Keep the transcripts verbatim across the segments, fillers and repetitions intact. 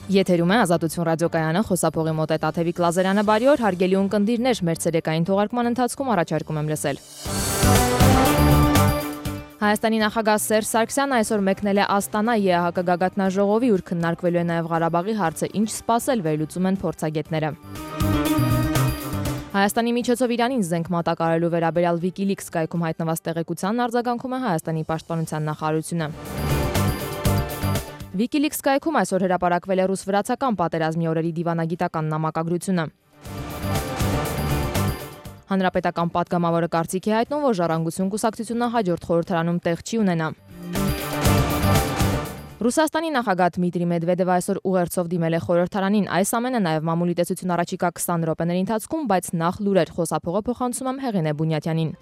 Եթերում է Ազատություն ռադիոկայանը, խոսափողի մոտ է Տաթևիկ Լազարյանը, բարի օր, հարգելի ունկնդիրներ, մեր ցերեկային թողարկման ընթացքում առաջարկում եմ լսել։ Հայաստանի նախագահ Սերժ Սարգսյանը այսօր մեկնել է Աստանա ԵԱՀԿ գագաթնաժողովի, ուր քննարկվելու է նաև Ղարաբաղի հարցը, ինչ սպասել, վերլուծում են փորձագետները։ Հայաստանի միջոցով Իրանին զենք մատակարարելու վերաբերյալ Wikileaks կայքում հայտնված տեղեկությանն արձագանքում է Հայաստանի պաշտպանության նախարարությունը։ Wikileaks կայքում այսօր հրապարակվել է ռուս-վրացական պատերազմի օրերի դիվանագիտական նամակագրությունը։ Հանրապետական պատգամավորը կարծիք է հայտնում, որ Ժառանգություն կուսակցությունը հաջորդ խորհրդարանում տեղ չի ունենա։ Ռուսաստանի նախագահ Դմիտրի Մեդվեդևը այսօր ուղերձով դիմել է խորհրդարանին, այս ամենը նաև մամուլի տեսություն առաջիկա քսան րոպեների ընթացքում, բայց նախ լուրեր, խոսափողը փոխանցում եմ Հեղինե Բունյատյանին։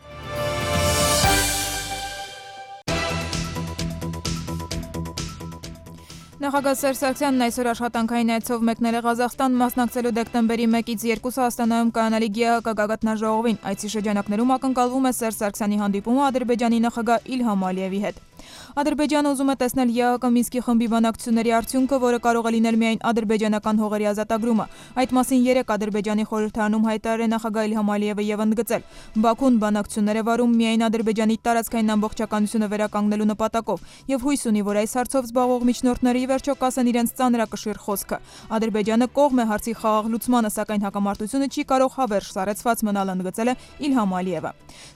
Նախագահ Սերժ Սարգսյանն այսօր աշխատանքային այցով մեկնել է Ղազախստան, մասնակցելու դեկտեմբերի մեկից երկուսը Աստանայում կայանալիք ԵԱՀԿ գագաթնաժողովին։ Այցի շրջանակներում ակնկալվում է Սերժ Սարգսյանի հանդիպումը Ադրբեջանի նախագահ Իլհամ Ալիևի հետ։ Ադրբեջանը ուզում է տեսնել ԵԱՀԿ Մինսկի խմբի բանակցությունների արդյունքը, որը կարող է լինել միայն ադրբեջանական հողերի ազատագրումը։ Այդ մասին երեկ Ադրբեջանի խորհրդարանում հայտարարել է նախագահ Իլհամ Ալիևը եւ ընդգծել. Բաքուն բանակցություններ է վարում միայն Ադրբեջանի տարածքային ամբողջականությունը վերականգնելու նպատակով եւ հույս ունի, որ այս հարցով զբաղվող միջնորդները ի վերջո կասեն իրենց ծանրակշիռ խոսքը։ Ադրբեջանը կողմ է հարցի խաղաղ լուծմանը, սակայն հակամարտությունը չի կարող հավերժ սառեցված մնալ, ընդգծել է Իլհամ Ալիևը։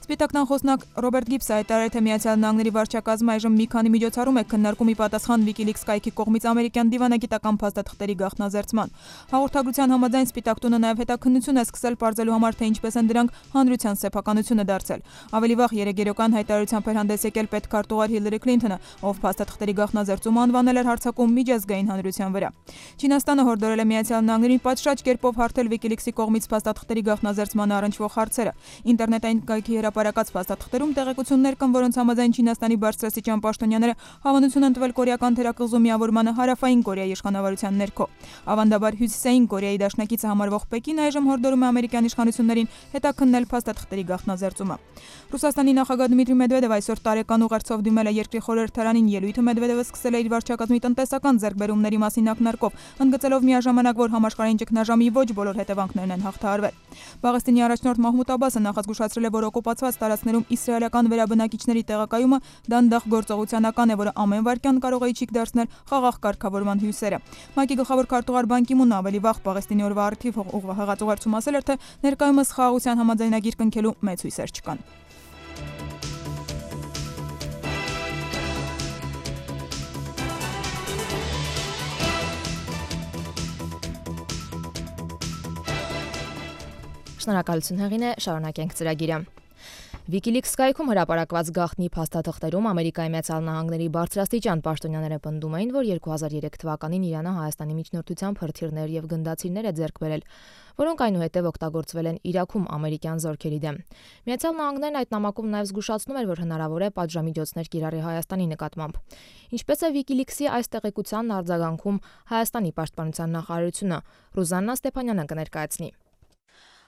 Սպիտակնան խոսնակ Ռոբերտ Գիբսը հայտարարել է, թե Միացյալ Նահանգների վարչակազմը այժմ մի քանի միջոցառում է քննարկում ի պատասխան Wikileaks կայքի կողմից ամերիկյան դիվանագիտական փաստաթղթերի գաղտնազերծման։ Հաղորդագրության համաձայն Սպիտակ տունը նաև հետաքննություն է սկսել պարզելու համար, թե ինչպես են դրանք հանրության սեփականությունը դարձել։ Ավելի վաղ երեգերական հայտարարությամբ էր հանդես եկել պետքարտուղար Հիլարի Քլինթոնը, ով փաստաթղթերի գաղտնազերծումը անվանել էր հարձակում միջազգային հանրության վրա։ Չինաստանը հորդորել է Միացյալ Նահանգներին պատշաճ կերպով հարթել Wikileaks-ի կողմից փաստաթղթերի գաղտնազերծման առնչվող հարցերը։ Ինտերնետային կայքի հրապարակած փաստաթղթերում տեղեկություններ կան, որոնց համաձայն Չինաստանի բարձրաստիճան պաշտոնյաները հավանություն են տվել կորեական թերակղզու միավորմանը հարավային Կորեայի իշխանավարության ներքո։ Ավանդաբար Հյուսիսային Կորեայի դաշնակիցը համարվող Պեկինը այժմ հորդորում է ամերիկյան իշխանություններին հետաքննել փաստաթղթերի գաղտնազերծումը։ Ռուսաստանի նախագահ Դմիտրի Մեդվեդևը այսօր տարեկան ուղերձով դիմել է երկրի խորհրդարանին, ելույթը Մեդվեդևը սկսել է իր վարչակազմի տնտեսական ձեռքբերումների մասին ակնարկով, ընդգծելով միաժամանակ, որ համաշխարհային ճգնաժամի ոչ բոլոր հետևանքներն են հաղթահարվել։ Պաղեստինի առաջնորդ Մահմուդ Աբասը նախազգուշացրել է, որ օկուպացված տարածքներում իսրայելական վերաբնակիչների տեղակայումը դանդաղ գործողությանական է, որը ամեն վայրկյան կարող է իջիկ դարձնել խաղաղ կարգավորման հույսերը։ ՄԱԿ-ի գլխավոր քարտուղար Բան Կի Մունն ավելի վաղ Պաղեստինի օրվա առթիվ հղած ուղերձում ասել էր, թե ներկայումս խաղաղության համաձայնագիր կնքելու մեծ հույսեր չկան։ Շնորհակալություն Հեղինե, շարունակենք ծրագիրը։ Wikileaks կայքում հրապարակված գաղտնի փաստաթղթերում Ամերիկայի Միացյալ Նահանգների բարձրաստիճան պաշտոնյաները պնդում էին, որ երկու հազար երեք թվականին Իրանը Հայաստանի միջնորդությամբ հրթիռներ եւ գնդացիրներ է ձեռք բերել, որոնք այնուհետև օգտագործվել են Իրաքում ամերիկյան զորքերի դեմ։ Միացյալ Նահանգներն այդ նամակում նաև զգուշացնում էր, որ հնարավոր է պատժամիջոցներ կիրառի Հայաստանի նկատմամբ։ Ինչպես է Wikileaks-ի այս տեղեկությանն արձագանքում Հայաստանի պաշտպանության նախարարությունը, Ռուզաննա Ստեփանյանը կներկայացնի։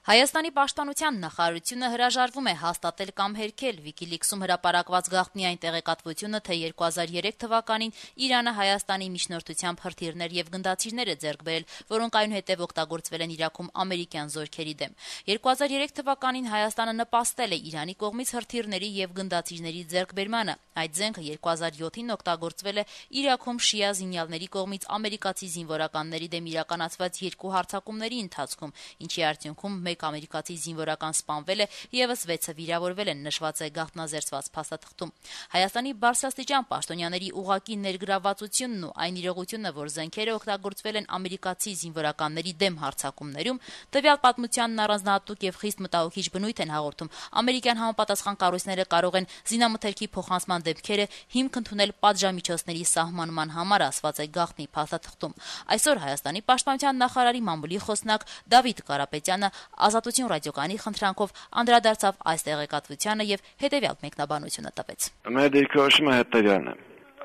Հայաստանի պաշտպանության նախարարությունը հրաժարվում է հաստատել կամ հերքել Wikileaks-ում հրապարակված գաղտնի այն տեղեկատվությունը, թե երկու հազար երեք թվականին Իրանը Հայաստանի միջնորդությամբ հրթիռներ եւ գնդացիրներ է ձեռք բերել, որոնք այնուհետև օգտագործվել են Իրաքում ամերիկյան զորքերի դեմ։ երկու հազար երեք թվականին Հայաստանը նպաստել է Իրանի կողմից հրթիռների եւ գնդացիրների ձեռքբերմանը։ Այդ զենքը երկու հազար յոթին օգտագործվել է Իրաքում շիա զինյալների կողմից ամերիկացի զինվորականների դեմ իրականացված երկու հարձակումների ընթացքում, ինչի արդյունքում մեկ ամերիկացի զինվորական սպանվել է, եւս վեցը վիրավորվել են, նշված է գաղտնազերծված փաստաթղթում։ Հայաստանի բարձրաստիճան պաշտոնյաների ուղակի ներգրավվածությունն ու այն իրողությունը, որ զենքերը օգտագործվել են ամերիկացի զինվորականների դեմ հարձակումներում, տվյալ պատմությանն առանձնահատուկ եւ խիստ մտահոգիչ բնույթ են հաղորդում։ Ամերիկյան համապատասխան կառույցները կարող են զինամթերքի փոխանցման դեպքերը հիմք ընդունել պատժամիջոցների սահմանման համար, ասված է գաղտնի փաստաթղթում։ Այսօր Հայաստանի պաշտպանության նախարարի մամուլի խոսնակ Դավիթ Կարապետյանը Ազատություն ռադիոկայանի խնդրանքով անդրադարձավ այս տեղեկատվությանը եւ հետեւյալ մեկնաբանությունը տվեց։ Մեր դիրքորոշումը հետեւյալն է.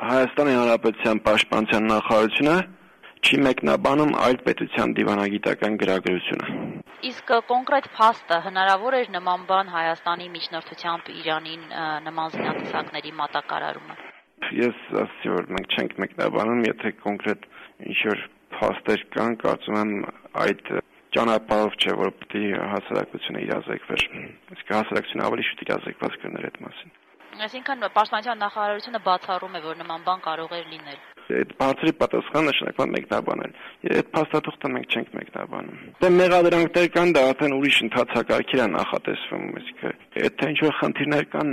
Հայաստանի Հանրապետության պաշտպանության նախարարությունը չի մեկնաբանում այլ պետության դիվանագիտական գրագրությունը։ Իսկ կոնկրետ փաստը հնարավոր էր նման բան Հայաստանի միջնորդությամբ Իրանին նման զինատեսակների մատակարարումը։ Ես ասացի, որ մենք չենք մեկնաբանում, եթե կոնկրետ ինչ-որ փաստեր կան, կարծում եմ այդ ճանապարհով չէ, որ պետք է հասարակությունը իրազեկվեր։ Իսկ հասարակությունը ավելի շուտ իրազեկված կներ այդ մասին։ Այսինքն Պաշտպանության նախարարությունը բացառում է, որ նման բան կարող էր լինել։ Այդ բարձրի պատասխանը նշանակում է մեկնաբանել։ Այդ փաստաթուղթը մենք չենք մեկնաբանում։ Դե մեղադրանքներ կան, դա արդեն ուրիշ ընթացակարգեր է նախատեսվում, իսկ այդ թե ինչ-որ խնդիրներ կան,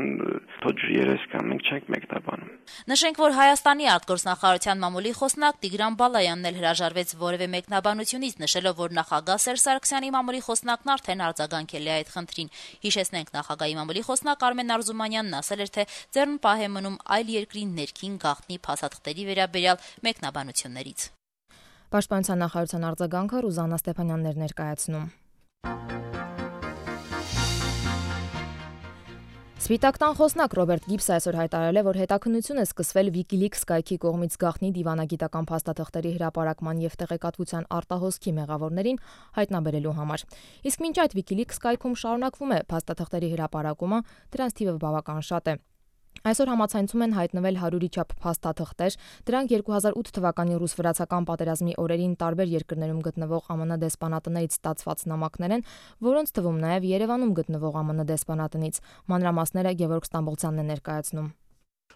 թոջ երես կան, մենք չենք մեկնաբանում։ Նշենք, որ Հայաստանի արտգործնախարարության մամուլի խոսնակ Տիգրան Բալայանն էլ հրաժարվեց որևէ մեկնաբանությունից, նշելով, որ նախագահ Սերժ Սարգսյանի մամուլի խոսնակն արդեն արձագանքել է այդ խնդրին։ Հիշեցնենք, նախագահի մամուլի խոսնակ Արմեն Արզումանյանն ասել էր, թե ձեռն պահ է մնում այլ երկրի ներքին գաղտնի փաստաթղթերի վերաբերյալ մեկնաբանություններից։ Պաշտպանության նախարարության արձագանքը Ռուզաննա Ստեփանյանն էր ներկայացնում։ Սպիտակ տան խոսնակ Ռոբերտ Գիբսը այսօր հայտարարել է, որ հետաքննություն է սկսվել WikiLeaks կայքի կողմից գաղտնի դիվանագիտական փաստաթղթերի հրապարակման եւ տեղեկատվության արտահոսքի մեղավորներին հայտնաբերելու համար։ Իսկ մինչ այդ WikiLeaks կայքում շարունակվում է փաստաթղթերի հրապարակումը, դրանց թիվը բավական շատ է։ Այսօր համացանցում են հայտնվել հարյուրի չափ փաստաթղթեր, դրանք երկու հազար ութ թվականի ռուս-վրացական պատերազմի օրերին տարբեր երկրներում գտնվող ԱՄՆ դեսպանատներից ստացված նամակներ են, որոնց թվում նաև Երևանում գտնվող ԱՄՆ դեսպանատնից։ Մանրամասները Գևորգ Ստամբոլցյանն է ներկայացնում։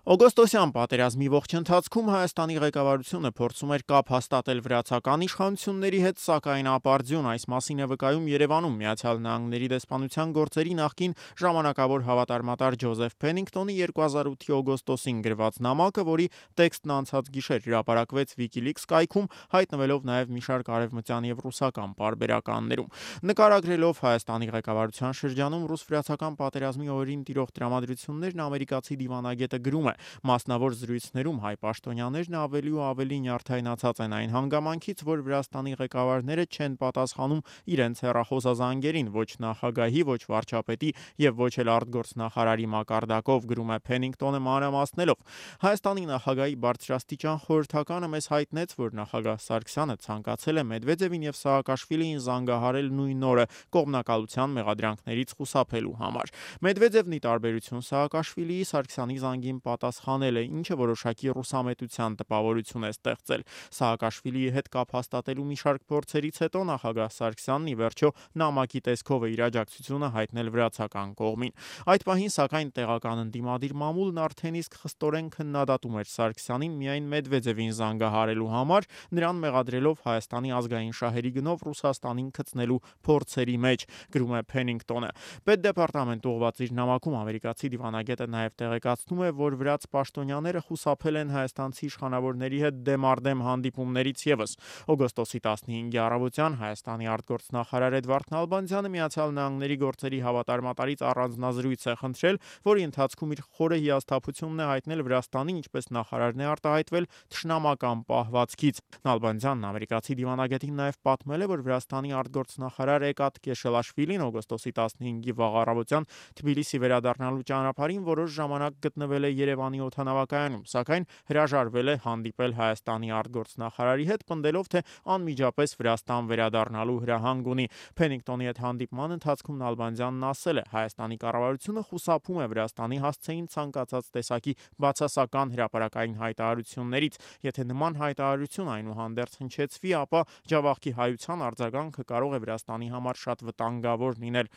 Օգոստոսյան պատերազմի ողջ ընթացքում Հայաստանի ղեկավարությունը փորձում էր կապ հաստատել վրացական իշխանությունների հետ, սակայն ապարդյուն այս մասին է վկայում Երևանում Միացյալ Նահանգների դեսպանության գործերի նախկին ժամանակավոր հավատարմատար Ջոզեֆ Փենինգտոնի երկու հազար ութի օգոստոսին գրված նամակը, որի տեքստն անցած գիշեր հրապարակվեց WikiLeaks կայքում, հայտնվելով նաև մի շարք արևմտյան եւ ռուսական պարբերականներում։ Նկարագրելով Հայաստանի ղեկավարության շրջանում ռուս-վրացական պատերազմի օրերին տիրող տրամադրություններն ամերիկացի դիվանագետը գրում է. մասնավոր զրույցներում հայ պաշտոնյաներն ավելի ու ավելի նյարդայնացած են այն հանգամանքից, որ Վրաստանի ղեկավարները չեն պատասխանում իրենց հեռախոսազանգերին, ոչ նախագահի, ոչ վարչապետի եւ ոչ էլ արտգործնախարարի մակարդակով, գրում է Փենինգտոնը մանրամասնելով։ Հայաստանի նախագահի բարձրաստիճան խորհրդականը մեզ հայտնեց, որ նախագահ Սարգսյանը ցանկացել է Մեդվեդևին եւ Սաակաշվիլիին զանգահարել նույն օրը կողմնակալության մեղադրանքներից խուսափելու համար։ Մեդվեդևն ի տարբերություն Սաակաշվիլիի Սարգսյանի զանգին պատասխանել է, ինչը որոշակի ռուսամետության տպավորություն է ստեղծել։ Սաակաշվիլիի հետ կապ հաստատելու մի շարք փորձերից հետո նախագահ Սարգսյանն ի վերջո նամակի տեսքով է իր աջակցությունը հայտնել վրացական կողմին։ Այդ պահին, սակայն, տեղական ընդդիմադիր մամուլն արդեն իսկ խստորեն քննադատում էր Սարգսյանին միայն Մեդվեդևին զանգահարելու համար, նրան մեղադրելով Հայաստանի ազգային շահերի գնով Ռուսաստանին գցնելու փորձերի մեջ, գրում է Փենինգտոնը։ Պետդեպարտամենտ ուղղված իր նամակում ամերիկացի դիվանագետը նաև տեղեկացնում է, որ վրաց պաշտոնյաները խուսափել են հայաստանցի իշխանավորների հետ դեմարդեմ հանդիպումներից եւս։ Օգոստոսի տասնհինգի առավոտյան Հայաստանի արտգործնախարար Էդվարդ Նալբանդյանը Միացյալ Նահանգների գործերի հավատարմատարից առանձնազրույց է խնդրել, որի ընթացքում իր խորը հիասթափությունն է հայտնել Վրաստանին, ինչպես նախարարն է արտահայտվել, թշնամական պահվածքից։ Նալբանդյանն ամերիկացի դիվանագետին նաև պատմել է, որ Վրաստանի արտգործնախարար Էկատ Կեշելաշվիլին օգոստոսի տասնհինգի վաղ առավոտյան Թբիլիսի վերադառնալու ճանապարհին որոշ ժամանակ գտնվել է Երևանի օդանավակայանում, սակայն հրաժարվել է հանդիպել Հայաստանի արտգործնախարարի հետ, պնդելով, թե անմիջապես Վրաստան վերադառնալու հրահանգ ունի։ Փենինգտոնի հետ հանդիպման ընթացքում Նալբանդյանն ասել է. Հայաստանի կառավարությունը խուսափում է Վրաստանի հասցեին ցանկացած տեսակի բացասական հրապարակային հայտարարություններից։ Եթե նման հայտարարություն այնուհանդերձ հնչեցվի, ապա Ջավախքի հայության արձագանքը կարող է Վրաստանի համար շատ վտանգավոր լինել։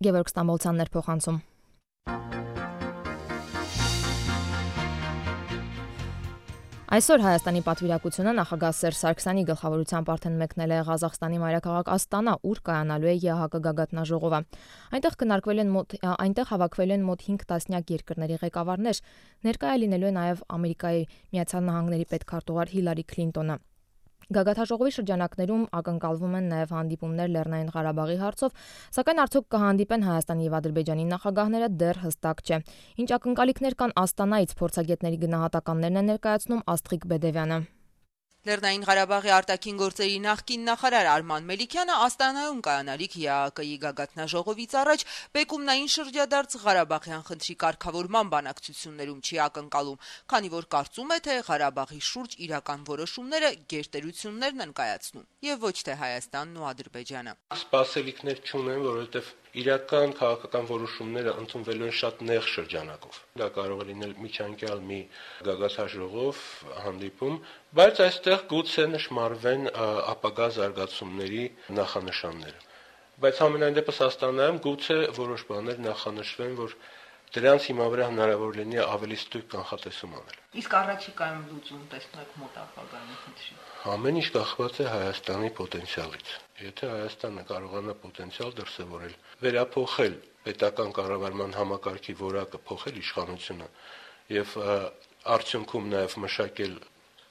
Գևորգ Ստամբոլցյանն էր փոխանցում։ Այսօր Հայաստանի պատվիրակությունը նախագահ Սերժ Սարգսյանի գլխավորությամբ արդեն մեկնել է Ղազախստանի մայրաքաղաք Աստանա, ուր կայանալու է ԵԱՀԿ գագաթնաժողովը։ Այնտեղ քննարկվել են մոտ այնտեղ հավաքվել են մոտ հինգ տասնյակ երկրների ղեկավարներ, ներկայ լինելու է նաև Ամերիկայի Միացյալ Նահանգների պետքարտուղար Հիլարի Քլինտոնը։ Գագաթնաժողովի շրջանակներում ակնկալվում են նաև հանդիպումներ Լեռնային Ղարաբաղի հարցով, սակայն արդյոք կհանդիպեն Հայաստանի եւ Ադրբեջանի նախագահները դեռ հստակ չէ։ Ինչ ակնկալիքներ կան Աստանայից, փորձագետների գնահատականներն է ներկայացնում Աստղիկ Բեդևյանը։ Լեռնային Ղարաբաղի արտաքին գործերի նախկին նախարար Արման Մելիքյանը Աստանայում կայանալիք ԵԱՀԿ-ի գագաթնաժողովից առաջ բեկումնային շրջադարձ Ղարաբաղյան խնդրի կարգավորման բանակցություններում չի ակնկալում, քանի որ կարծում է, թե Ղարաբաղի շուրջ իրական որոշումները գերտերություններն են կայացնում եւ ոչ թե Հայաստանն ու Ադրբեջանը։ Սպասելիքներ չունեմ, որովհետեւ իրական քաղաքական որոշումները ընդունվելու են շատ նեղ շրջանակով։ Դա կարող է լինել միջանկյալ մի գագաթաժողով հանդիպում, բայց այստեղ գուցե նշмарվեն ապագա զարգացումների նախանշանները։ Բայց ամենայն դեպս Աստանայում գուցե որոշ բաներ նախանշվեն, որ դրանց հիմա վրա հնարավոր լինի ավելի ստույգ կանխատեսում անել։ Իսկ առաջիկայում լուծում տեսնեք մոտ ապագայում խնդրի։ Ամեն ինչ կախված է Հայաստանի պոտենցիալից։ Եթե Հայաստանը կարողանա պոտենցիալ դրսևորել, վերափոխել պետական կառավարման համակարգի որակը, փոխել իշխանությունը եւ արդյունքում նաեւ մշակել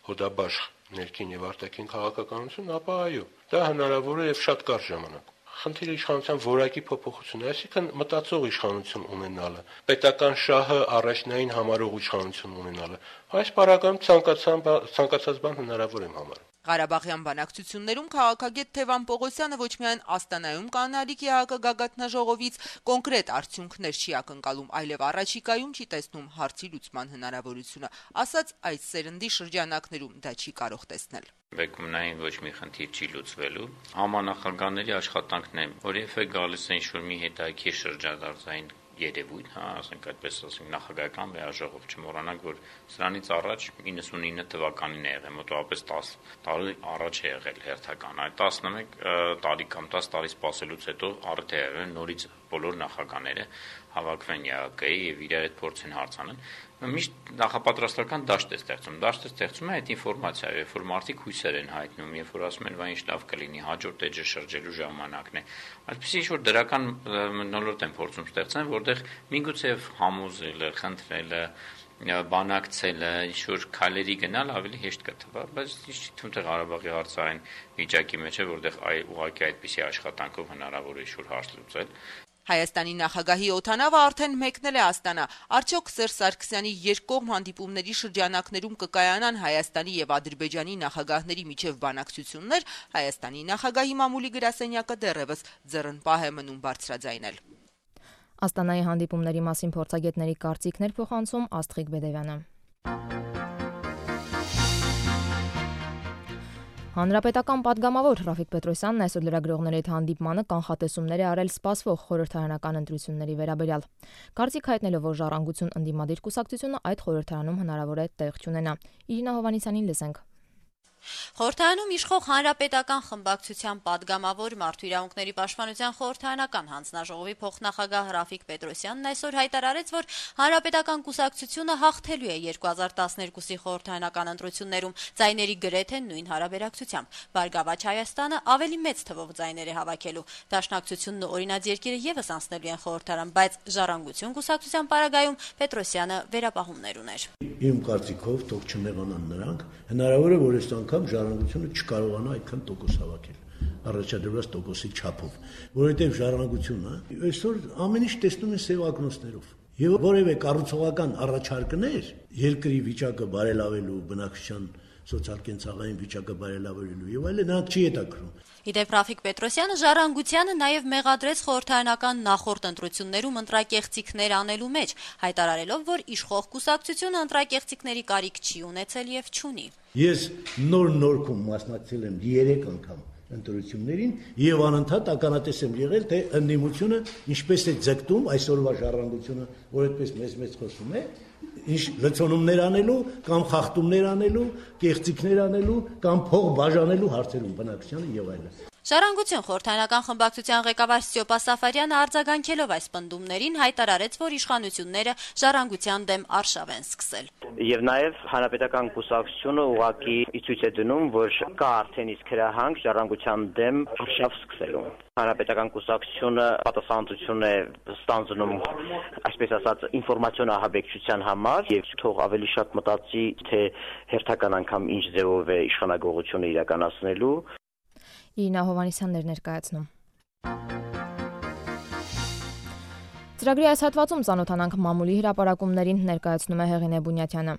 հոդաբաշխ ներքին եւ արտաքին քաղաքականություն, ապա այո, դա հնարավոր է եւ շատ կարճ ժամանակ։ Խնդիրը իշխանության որակի փոփոխությունն է, այսինքն մտածող իշխանություն ունենալը, պետական շահը առաջնային համարող իշխանություն ունենալը։ Այս պարագայում ցանկացած բան հնարավոր եմ համարում։ Ղարաբաղյան բանակցություններում քաղաքագետ Թևան Պողոսյանը ոչ միայն Աստանայում կանալիք ԵԱՀԿ գագաթնաժողովից կոնկրետ արդյունքներ չի ակնկալում, այլև առաջիկայում չի տեսնում հարցի լուծման հնարավորությունը, ասաց այս սերնդի շրջանակներում դա չի կարող տեսնել։ Բեկումնային ոչ մի խնդիր չի լուծվելու։ Համանախագահների աշխատանքն է, որևէ գալիս է ինչ-որ մի հետաքրքիր շրջադարձային երևույթ, հա, ասենք այդպես ասենք նախագահական վեաժողով, չմոռանանք, որ սրանից առաջ իննսունինը թվականին է եղել, մոտավորապես տասը տարի առաջ է եղել հերթական, այդ տասնմեկ տարի կամ տասը տարի սպասելուց հետո արդեն է եղել նորից բոլոր նախագահները հավաքվեն ԵԱՀԿ-ի եւ իրար հետ փորձեն հարցանեն։ Միշտ նախապատրաստական դաշտ է ստեղծում։ Դաշտը ստեղծում է այդ ինֆորմացիայով, երբ որ մարդիկ հույսեր են հայտնում, երբ որ ասում են, վայ ինչ լավ կլինի, հաջորդ էջը շրջելու ժամանակն է։ Այսպեսի ինչ-որ դրական մթնոլորտ են փորձում ստեղծել, որտեղ միգուցեև համոզելը, խնդրելը, բանակցելը, ինչ-որ քայլերի գնալ ավելի հեշտ կթվա, բայց ինչ թվում թե Ղարաբաղի հարցը այն վիճակի մեջ է, որտեղ ուղղակի այդպիսի աշխատանքով հնարավոր է ինչ-որ հարց լուծել։ Հայաստանի նախագահի օդանավը արդեն մեկնել է Աստանա։ Արդյոք Սերժ Սարգսյանի երկկողմ հանդիպումների շրջանակներում կկայանան Հայաստանի եւ Ադրբեջանի նախագահների միջև բանակցություններ, Հայաստանի նախագահի մամուլի գրասենյակը դեռևս ձեռնպահ է մնում բարձրաձայնել։ Աստանայի հանդիպումների մասին փորձագետների կարծիքներ փոխանցում Աստղիկ Բեդևյանը։ Հանրապետական պատգամավոր Ռաֆիկ Պետրոսյանն այսօր լրագրողների հետ հանդիպմանը կանխատեսումներ է արել սպասվող խորհրդարանական ընտրությունների վերաբերյալ։ Կարծիք հայտնելով, որ ժառանգություն ընդդիմադիր կուսակցությունը այդ խորհրդարանում հնարավոր է տեղ չունենա։ Իրինա Հովհաննիսյանին լսենք։ Խորհրդարանում իշխող հանրապետական խմբակցության պատգամավոր Մարդու իրավունքների պաշտպանության խորհրդարանական հանձնաժողովի փոխնախագահ Ռաֆիկ Պետրոսյանն այսօր հայտարարեց, որ հանրապետական կուսակցությունը հաղթելու է երկու հազար տասներկուսի խորհրդարանական ընտրություններում ձայների գրեթե նույն հարաբերակցությամբ։ Բարգավաճ Հայաստանը ավելի մեծ թվով ձայներ է հավաքելու։ Դաշնակցությունն ու օրինաց երկիրը եւս անցնելու են խորհրդարան, բայց Ժառանգություն կուսակցության պարագայում Պետրոսյանը վերապահումներ ուներ։ Իմ կարծիքով թող չնեղանան նրանք, հնարավոր է որ այս անգամ Ժառանգությունը չկարողանա այդքան տոկոս հավաքել առաջադրված տոկոսի չափով, որովհետև Ժառանգությունը այսօր ամեն ինչ տեսնում է սև ակնոցներով եւ որևէ կառուցողական առաջարկներ երկրի վիճակը բարելավելու, բնակչության սոցիալ-կենցաղային վիճակը բարելավելու եւ այլն նրանք չի հետաքրում։ Իդեպ Ռաֆիկ Պետրոսյանը Ժառանգությանը նաև մեղադրեց խորհրդարանական նախորդ ընտրություններում ընտրակեղծիքներ անելու մեջ, հայտարարելով, որ իշխող կուսակցությունը ընտրակեղծիքների կարիք չի ունեցել եւ չունի։ Ես նոր նորքում մասնակցել եմ երեք անգամ ընտրություններին եւ անընդհատ ականատես եմ եղել, թե ընդդիմությունը ինչպես է ձգտում այսօրվա Ժառանգությունը, որ այդպես մեծ-մեծ խոսում է, ինչ լցոնումներ անելու կամ խախտումներ անելու, կեղծիքներ անելու կամ փող բաժանելու հարցերում բնակչությանը եւ այլն։ Ժառանգություն խորհրդարանական խմբակցության ղեկավար Ստյոպա Սաֆարյանը արձագանքելով այս պնդումներին հայտարարեց, որ իշխանությունները Ժառանգության դեմ արշավ են սկսել։ Եվ նաև հանրապետական կուսակցությունը ուղղակի ցույց է դնում, որ կա արդեն իսկ հրահանգ Ժառանգության դեմ արշավ սկսելու։ Հանրապետական կուսակցությունը պատասխանատվություն է ստանձնում, այսպես ասած, ինֆորմացիոն ահաբեկչության համար եւ թող ավելի շատ մտածի, թե հերթական անգամ ինչ ձևով է իշխանագողությունը իրականացնելու։ Իրինա Հովհաննիսյանն էր ներկայացնում։ Ծրագրի այս հատվածում ծանոթանանք մամուլի հրապարակումներին, ներկայացնում է Հեղինե Բունյաթյանը։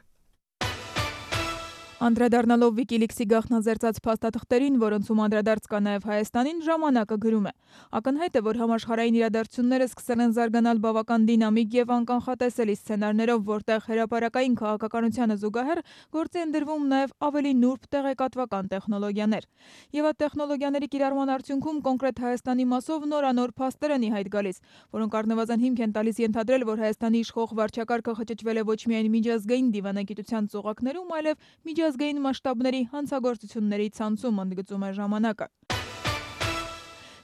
Անդրադառնալով Wikileaks-ի գաղտնազերծած փաստաթղթերին, որոնցում անդրադարձ կա նաև Հայաստանին, ժամանակը գրում է. ակնհայտ է, որ համաշխարհային իրադարձությունները սկսել են զարգանալ բավական դինամիկ եւ անկանխատեսելի սցենարներով, որտեղ հրապարակային քաղաքականությանը զուգահեռ գործի են դրվում նաև ավելի նուրբ տեղեկատվական տեխնոլոգիաներ։ Եվ այդ տեխնոլոգիաների կիրառման արդյունքում կոնկրետ Հայաստանի մասով նորանոր փաստեր են ի հայտ գալիս, որոնք առնվազն հիմք են տալիս ենթադրել, որ Հայաստանի իշխող վարչակարգը խճճվել է ոչ միայն միջազգային դիվանագիտության ծուղակներում, այլև միջազգային մասշտաբների հանցագործությունների ցանցում, ընդգծում է ժամանակը։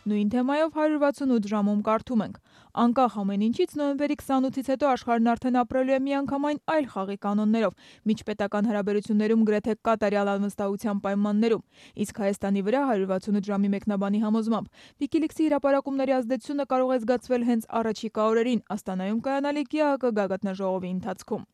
Նույն թեմայով հարյուր վաթսունութ ժամում կարդում ենք. անկախ ամեն ինչից նոյեմբերի քսանութից հետո աշխարհն արդեն ապրելու է միանգամայն այլ խաղի կանոններով, միջպետական հարաբերություններում գրեթե կատարյալ անվստահության պայմաններում, իսկ Հայաստանի վրա հարյուր վաթսունութ ժամի մեկնաբանի համոզմամբ Wikileaks-ի հրապարակումների ազդեցությունը կարող է զգացվել հենց առաջիկա օրերին Աստանայում կայանալիք ԵԱՀԿ գագաթնաժողովի ընթացքում։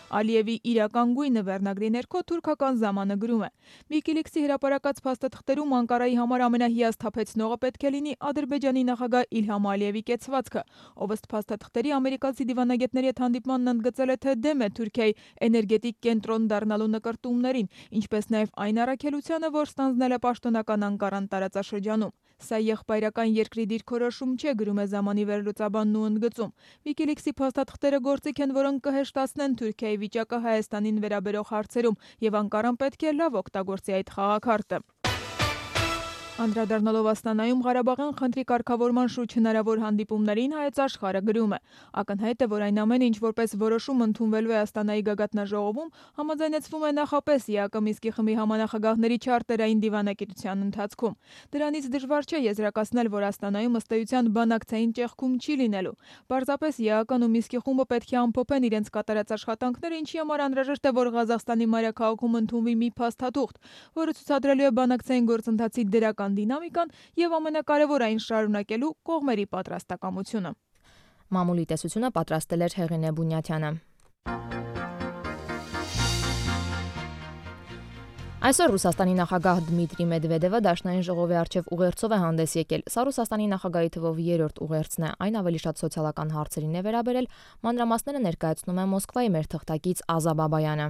Ալիևի իրական գույնը վերնագրի ներքո թուրքական զամանը գրում է. Wikileaks-ի հրապարակած փաստաթղթերում Անկարայի համար ամենահիասթափեցնողը պետք է լինի Ադրբեջանի նախագահ Իլհամ Ալիևի կեցվածքը, ով ըստ փաստաթղթերի ամերիկացի դիվանագետների հետ հանդիպմանն ընդգծել է, թե դեմ է Թուրքիայի էներգետիկ կենտրոն դառնալու նկրտումներին, ինչպես նաև այն առաքելությանը, որ ստանձնել է պաշտոնական Անկարան տարածաշրջանում։ Սա եղբայրական երկրի դիրքորոշում չէ, գրում է զամանի վերլուծաբանն ու ընդգծում։ Wikileaks-ի փաստաթղթերը գործիք են, որոնք կհեշտացնեն Թուրքիայի վիճակը Հայաստանին վերաբերող հարցերում, եւ Անկարան պետք է լավ օգտագործի այդ խաղաքարտը։ Անդրադառնալով Աստանայում Ղարաբաղյան խնդրի կարգավորման շուրջ հնարավոր հանդիպումներին Հայոց Աշխարհը գրում է. ակնհայտ է, որ այն ամենը, ինչ որպես որոշում ընդունվելու է Աստանայի գագաթնաժողովում, համաձայնեցվում է նախապես ԵԱԿ Մինսկի խմբի համանախագահների չարտերային դիվանագիտության ընթացքում։ Դրանից դժվար չէ եզրակացնել, որ Աստանայում ըստ էության բանակցային ճեղքում չի լինելու։ Պարզապես ԵԱԿ-ն ու Մինսկի խումբը պետք է ամփոփեն իրենց կատարած աշխատանքները, ինչի համար անհրաժեշտ է, որ Ղազախստանի մայրաքաղաքում ընդունվի մի փաստաթուղթ, որը ցուցադրելու է բանակցային գործընթացի դրական դինամիկան եւ ամենակարևորը այն շարունակելու կողմերի պատրաստակամությունը։ Մամուլի տեսությունը պատրաստել էր Հեղինե Բունյաթյանը։ Այսօր Ռուսաստանի նախագահ Դմիտրի Մեդվեդևը Դաշնային ժողովի առջև ուղերձով է հանդես եկել։ Սա Ռուսաստանի նախագահի թվով երրորդ ուղերձն է, այն ավելի շատ սոցիալական հարցերին է վերաբերել, մանրամասները ներկայացնում է Մոսկվայի մեր թղթակից Ազա Բաբայանը։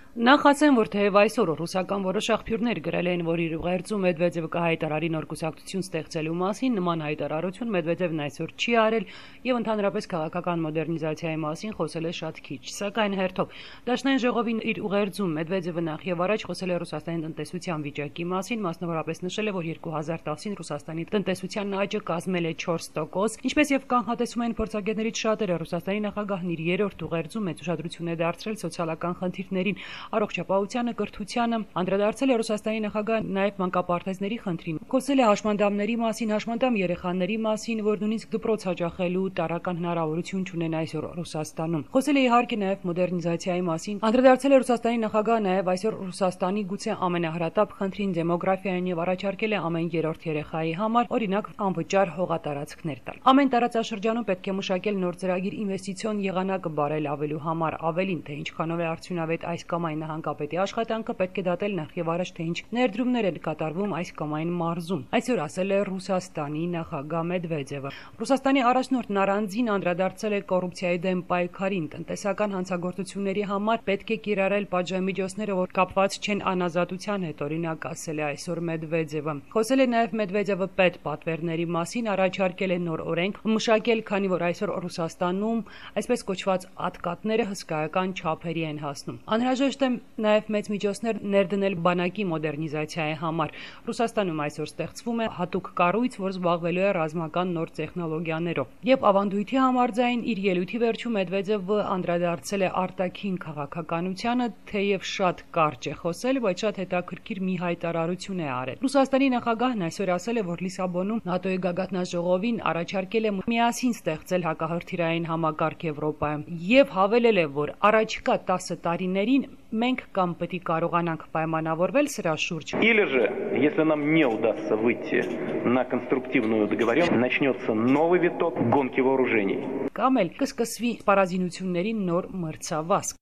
Նախ ասեմ, որ թեև այսօր ռուսական որոշ աղբյուրներ գրել են, որ իր ուղերձում Մեդվեդևը կհայտարարի նոր կուսակցություն ստեղծելու մասին, նման հայտարարություն Մեդվեդևն այսօր չի արել եւ ընդհանրապես քաղաքական մոդեռնիզացիայի մասին խոսել է շատ քիչ։ Սակայն հերթով Դաշնային ժողովին իր ուղերձում Մեդվեդևը նախ եւ առաջ խոսել է Ռուսաստանի տնտեսության վիճակի մասին, մասնավորապես նշել է, որ երկու հազար տասին Ռուսաստանի տնտեսության աճը կազմել է չորս տոկոս, ինչպես եւ կանխատեսում են փորձագետներից շատերը, Ռուսաստանի նախագահն իր երրորդ ուղերձում մեծ ուշադրություն է դարձրել սոցիալական խնդիրներին, առողջապահությանը, կրթությանը, անդրադարձել է Ռուսաստանի նախագահը նաև մանկապարտեզների խնդրին, խոսել է հաշմանդամների մասին, հաշմանդամ երեխաների մասին, որ նույնիսկ դպրոց հաճախելու տարրական հնարավորություն չունեն այսօր Ռուսաստանում։ Խոսել է իհարկե նաև մոդեռնիզացիայի մասին, անդրադարձել է Ռուսաստանի նախագահը նաև այսօր Ռուսաստանի գուցե ամենահրատապ խնդրին դեմոգրաֆիային եւ առաջարկել է ամեն երրորդ երեխայի համար օրինակ անվճար հողատարածքներ տալ։ Ամեն տարածաշրջանում պետք է մշակել նոր ծրագիր ինվեստիցիոն եղանակը բարելավելու համար, ավելին թե ինչքանով է արդյունավետ այս կամ այն նահանգապետի աշխատանքը պետք է դատել նախ եւ առաջ թե ինչ ներդրումներ են կատարվում այս կամ այն մարզում։ Այսօր ասել է Ռուսաստանի նախագահ Մեդվեդևը։ Ռուսաստանի առաջնորդն առանձին անդրադարձել է կոռուպցիայի դեմ պայքարին, տնտեսական հանցագործությունների համար պետք է կիրառել պատժամիջոցները, որ կապված չեն անազատության հետ, օրինակ ասել է այսօր Մեդվեդևը։ Խոսել է նաև Մեդվեդևը պետ պատվերների մասին, առաջարկել է նոր օրենք մշակել, քանի որ այսօր Ռուսաստանում այսպես կոչված ատկատները հսկայական չափերի են հասնում։ Անհրաժեշտ է նաև մեծ միջոցներ ներդնել բանակի մոդեռնիզացիայի համար։ Ռուսաստանում այսօր ստեղծվում է հատուկ կառույց, որ զբաղվելու է ռազմական նոր տեխնոլոգիաներով։ Եվ ավանդույթի համաձայն իր ելույթի վերջում Մեդվեդևը անդրադարձել է արտաքին քաղաքականությանը, թեև շատ կարճ է խոսել, բայց շատ հետաքրքիր մի հայտարարություն է արել։ Ռուսաստանի նախագահն այսօր ասել է, որ Լիսաբոնում ՆԱՏՕ-ի գագաթնաժողովին առաջարկել է միասին ստեղծել հակահրթիռային համակարգ Եվրոպայում եւ հավելել է, որ առաջիկա տասը տարիներին մենք կամ պետք է կարողանանք պայմանավորվել սրա շուրջ։ Или же, если нам не удастся выйти на конструктивную договоренность, начнется новый виток гонки вооружений. Կամ էլ կսկսվի սպառազինությունների նոր մրցավազք։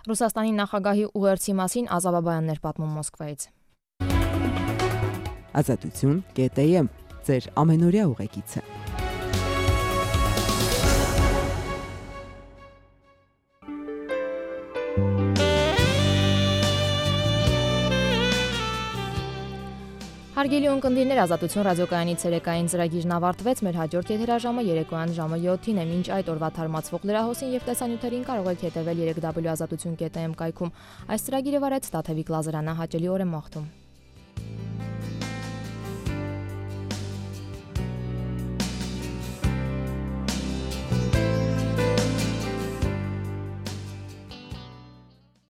Ռուսաստանի նախագահի ուղերձի մասին Ազա Բաբայանն էր պատմում Մոսկվայից։ Ազատություն կետ եմ ձեր ամենօրյա ուղեկիցը։ Հարգելի ունկնդիրներ, Ազատություն ռադիոկայանի ցերեկային ծրագիրն ավարտվեց, մեր հաջորդ եթերաժամը երեկոյան ժամը յոթին է։ Մինչ այդ օրվա թարմացվող լրահոսին եւ տեսանյութերին կարող եք հետեւել երեք w ազատություն կետ am կայքում։ Այս ծրագիրը վարեց Տաթևիկ Լազարյանը, հաճելի օր եմ մաղթում։